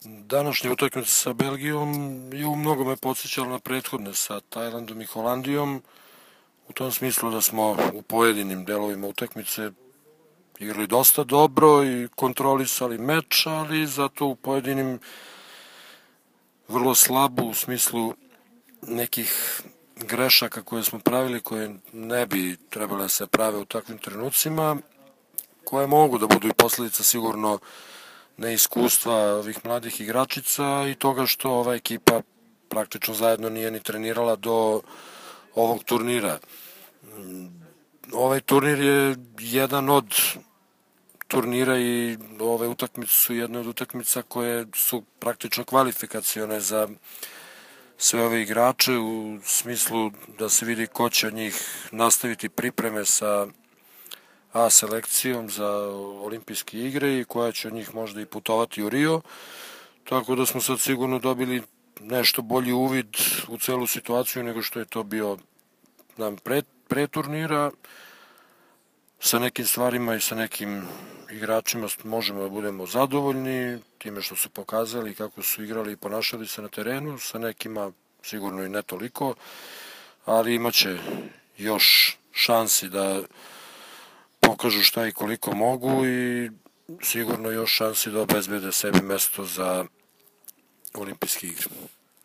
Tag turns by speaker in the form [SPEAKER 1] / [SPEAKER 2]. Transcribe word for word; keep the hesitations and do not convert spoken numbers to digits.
[SPEAKER 1] Današnja utakmica sa Belgijom je u mnogome podsjećala na prethodne sa Tajlandom i Holandijom, u tom smislu da smo u pojedinim delovima utakmice igrali dosta dobro i kontrolisali meč, ali zato u pojedinim vrlo slabo u smislu nekih grešaka koje smo pravili, koje ne bi trebale da se prave u takvim trenucima, koje mogu da budu i posledica sigurno neiskustva ovih mladih igračica i toga što ova ekipa praktično zajedno nije ni trenirala do ovog turnira. Ovaj turnir je jedan od turnira i ove utakmice su jedne od utakmica koje su praktično kvalifikacione za sve ove igrače u smislu da se vidi ko će od njih nastaviti pripreme sa A selekcijom za olimpijske igre i koja će od njih možda i putovati u Rio, tako da smo sad sigurno dobili nešto bolji uvid u celu situaciju nego što je to bio nam pre, pre turnira. Sa nekim stvarima i sa nekim igračima možemo da budemo zadovoljni time što su pokazali kako su igrali i ponašali se na terenu, sa nekima sigurno i ne toliko, ali imaće još šansi da pokažu šta i koliko mogu i sigurno još šansi da obezbede sebi mesto za olimpijske igre.